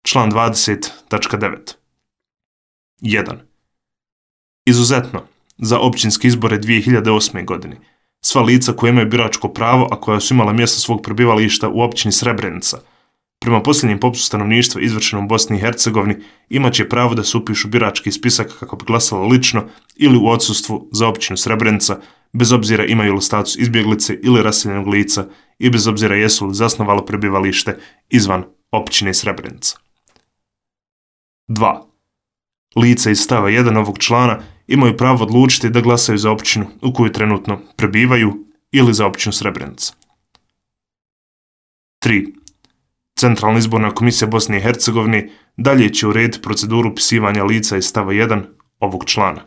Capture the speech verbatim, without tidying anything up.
Član dvadeset tačka devet. jedan. Izuzetno, za općinske izbore dvije hiljade osme. godine, sva lica koja imaju biračko pravo, a koja su imala mjesto svog prebivališta u općini Srebrenica, prema posljednjem popisu stanovništva izvršenom u Bosni i Hercegovini, imat će pravo da se upišu birački spisak kako bi glasala lično ili u odsustvu za općinu Srebrenica, bez obzira imaju li status izbjeglice ili raseljenog lica i bez obzira jesu li zasnovalo prebivalište izvan općine Srebrenica. dva. Lica iz stava jedan ovog člana imaju pravo odlučiti da glasaju za općinu u kojoj trenutno prebivaju ili za općinu Srebrenica. tri. Centralna izborna komisija Bosne i Hercegovine dalje će urediti proceduru upisivanja lica iz stava jedan ovog člana.